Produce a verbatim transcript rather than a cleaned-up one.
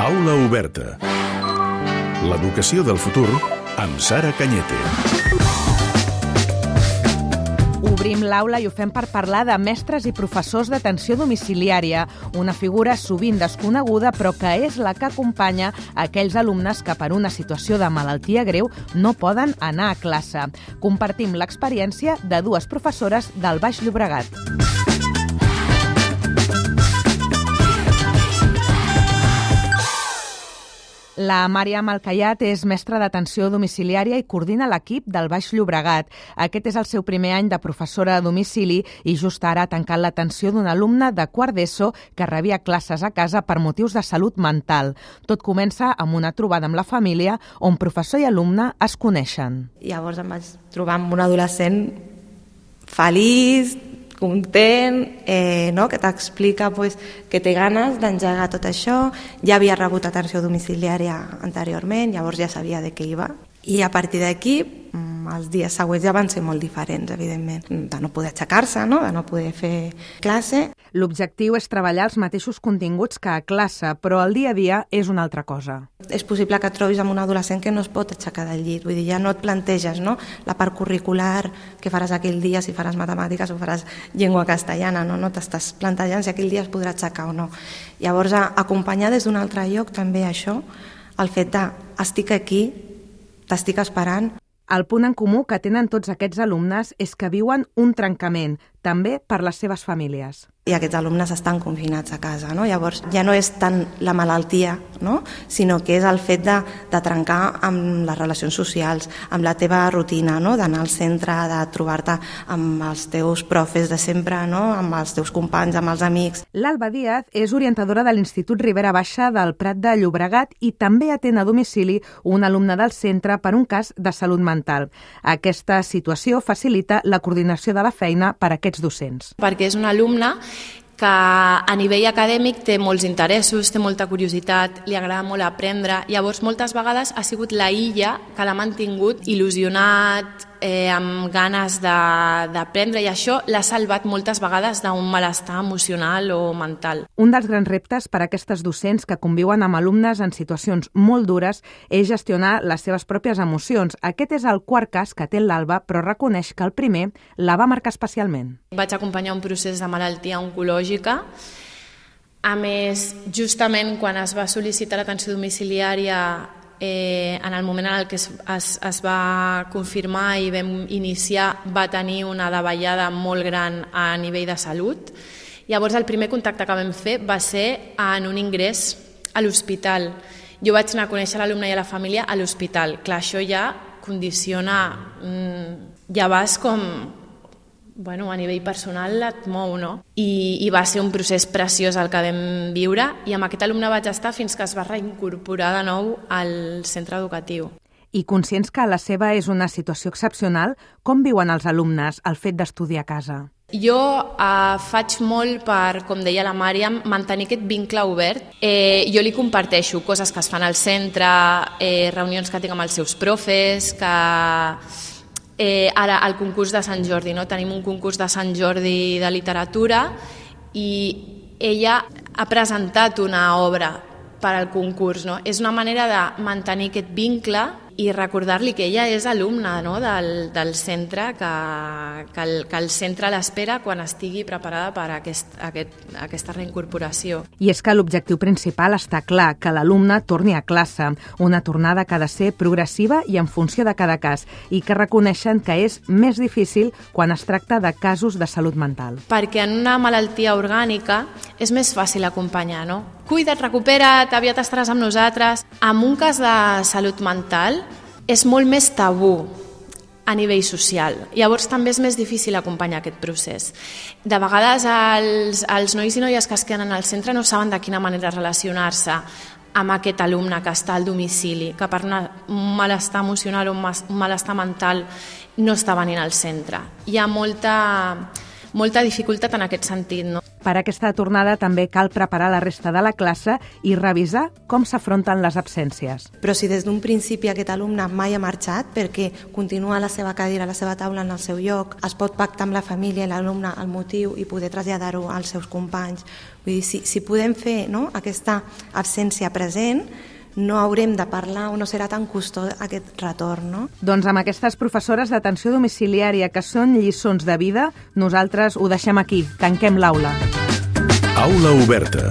Aula oberta. L'educació del futur amb Sara Cañete. Obrim l'aula i ho fem per parlar de mestres i professors d'atenció domiciliària, una figura sovint desconeguda però que és la que acompanya aquells alumnes que per una situació de malaltia greu no poden anar a classe. Compartim l'experiència de dues professores del Baix Llobregat. La Màriam Alcayat és mestra d'atenció domiciliària i coordina l'equip del Baix Llobregat. Aquest és el seu primer any de professora a domicili i just ara ha tancat l'atenció d'un alumne de quart d'ESO que rebia classes a casa per motius de salut mental. Tot comença amb una trobada amb la família on professor i alumne es coneixen. Llavors em vaig trobar amb un adolescent feliç, content, eh, no? que t'explica pues, que té ganes d'engegar tot això. Ja havia rebut atenció domiciliària anteriorment, llavors ja sabia de què iba. I a partir d'aquí, els dies següents ja van ser molt diferents, evidentment. De no poder aixecar-se, no? de no poder fer classe. L'objectiu és treballar els mateixos continguts que a classe, però el dia a dia és una altra cosa. És possible que et trobis amb un adolescent que no es pot aixecar del llit. Vull dir, ja no et planteges no? la part curricular, que faràs aquell dia, si faràs matemàtiques o faràs llengua castellana. No, no t'estàs plantejant si aquell dia es podrà aixecar o no. Llavors, acompanyar des d'un altre lloc també això, el fet de estic aquí, t'estic esperant. El punt en comú que tenen tots aquests alumnes és que viuen un trencament, també per les seves famílies. I aquests alumnes estan confinats a casa, no? Llavors ja no és tant la malaltia, no? sinó que és el fet de, de trencar amb les relacions socials, amb la teva rutina, no? d'anar al centre, de trobar-te amb els teus profes de sempre, no? amb els teus companys, amb els amics. L'Alba Díaz és orientadora de l'Institut Ribera Baixa del Prat de Llobregat i també atén a domicili un alumne del centre per un cas de salut mental. Aquesta situació facilita la coordinació de la feina per a aquests docents. Perquè és un alumne que a nivell acadèmic té molts interessos, té molta curiositat, li agrada molt aprendre. Llavors, moltes vegades ha sigut la illa que l'ha mantingut il·lusionat, eh, amb ganes d'aprendre, i això l'ha salvat moltes vegades d'un malestar emocional o mental. Un dels grans reptes per a aquestes docents que conviuen amb alumnes en situacions molt dures és gestionar les seves pròpies emocions. Aquest és el quart cas que té l'Alba, però reconeix que el primer la va marcar especialment. Vaig acompanyar un procés de malaltia oncològica. A més, justament quan es va sol·licitar l'atenció domiciliària, eh, en el moment en què es, es, es va confirmar i vam iniciar, va tenir una davallada molt gran a nivell de salut. Llavors, el primer contacte que vam fer va ser en un ingrés a l'hospital. Jo vaig anar a conèixer l'alumne i a la família a l'hospital. Clar, això ja condiciona, ja vas com... Bueno, a nivell personal et mou, no? I, i va ser un procés preciós el que vam viure, i amb aquest alumne vaig estar fins que es va reincorporar de nou al centre educatiu. I conscients que la seva és una situació excepcional, com viuen els alumnes el fet d'estudiar a casa? Jo eh, faig molt per, com deia la Màriam, mantenir aquest vincle obert. Eh, jo li comparteixo coses que es fan al centre, eh, reunions que tinc amb els seus profes, que... Eh, ara, el concurs de Sant Jordi, no? Tenim un concurs de Sant Jordi de literatura i ella ha presentat una obra per al concurs, no? És una manera de mantenir aquest vincle i recordar-li que ella és alumna, no? del, del centre, que, que, el, que el centre l'espera quan estigui preparada per a aquest, aquest, aquesta reincorporació. I és que l'objectiu principal està clar, que l'alumne torni a classe, una tornada que ha de ser progressiva i en funció de cada cas, i que reconeixen que és més difícil quan es tracta de casos de salut mental. Perquè en una malaltia orgànica és més fàcil acompanyar, no? Cuida't, recupera't, aviat estaràs amb nosaltres. En un cas de salut mental és molt més tabú a nivell social. Llavors també és més difícil acompanyar aquest procés. De vegades els, els nois i noies que es queden al centre no saben de quina manera relacionar-se amb aquest alumne que està al domicili, que per una, un malestar emocional o un malestar mental no està venint al centre. Hi ha molta... molta dificultat en aquest sentit, no? Per aquesta tornada també cal preparar la resta de la classe i revisar com s'afronten les absències. Però si des d'un principi aquest alumne mai ha marxat perquè continua a la seva cadira, a la seva taula en el seu lloc, es pot pactar amb la família i l'alumne el motiu i poder traslladar-ho als seus companys. Vull dir, si, si podem fer, no, aquesta absència present, no haurem de parlar o no serà tan costós aquest retorn, no? Doncs amb aquestes professores d'atenció domiciliària que són lliçons de vida, nosaltres ho deixem aquí, tanquem l'aula. Aula oberta.